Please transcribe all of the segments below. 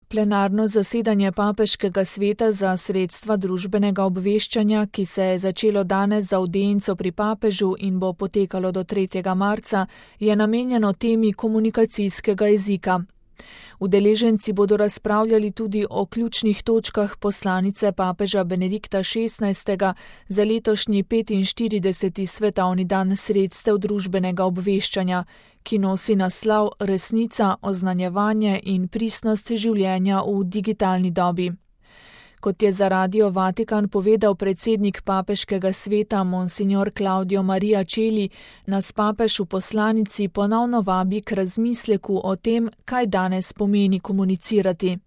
Plenarno zasedanje Papeškega sveta za sredstva družbenega obveščanja, ki se je začelo danes za avdienco pri papežu in bo potekalo do 3. marca, je namenjeno temi komunikacijskega jezika. Udeleženci bodo razpravljali tudi o ključnih točkah poslanice papeža Benedikta XVI za letošnji 45. svetovni dan sredstev družbenega obveščanja, ki nosi naslov Resnica, oznanjevanje in pristnost življenja v digitalni dobi. Kot je za Radio Vatikan povedal predsednik Papeškega sveta monsignor Claudio Maria Celi, nas papež v poslanici ponovno vabi k razmisleku o tem, kaj danes pomeni komunicirati.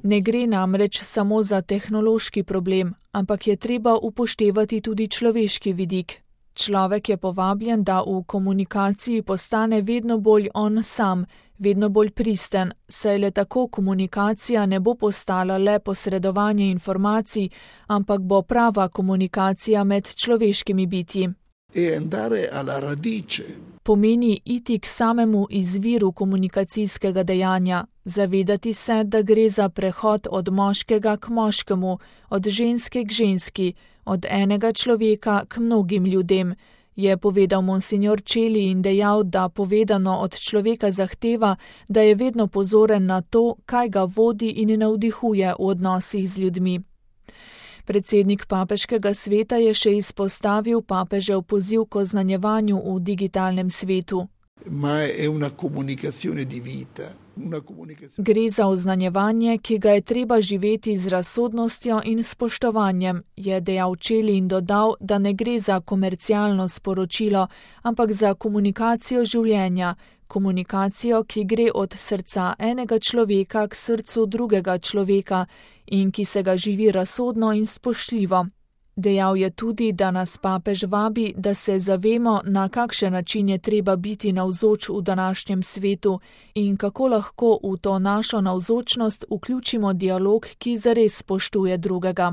Ne gre namreč samo za tehnološki problem, ampak je treba upoštevati tudi človeški vidik. Človek je povabljen, da v komunikaciji postane vedno bolj on sam, vedno bolj pristen, saj le tako komunikacija ne bo postala le posredovanje informacij, ampak bo prava komunikacija med človeškimi bitji. Pomeni iti k samemu izviru komunikacijskega dejanja, zavedati se, da gre za prehod od moškega k moškemu, od ženske k ženski, od enega človeka k mnogim ljudem, je povedal monsignor Celi in dejal, da povedano od človeka zahteva, da je vedno pozoren na to, kaj ga vodi in navdihuje v odnosih z ljudmi. Predsednik Papeškega sveta je še izpostavil papežev poziv k oznanjevanju v digitalnem svetu. Gre za oznanjevanje, ki ga je treba živeti z razsodnostjo in spoštovanjem, je dejal Celi in dodal, da ne gre za komercialno sporočilo, ampak za komunikacijo življenja, komunikacijo, ki gre od srca enega človeka k srcu drugega človeka in ki se ga živi razsodno in spoštljivo. Dejal je tudi, da nas papež vabi, da se zavemo, na kakšen način je treba biti navzoč v današnjem svetu in kako lahko v to našo navzočnost vključimo dialog, ki zares spoštuje drugega.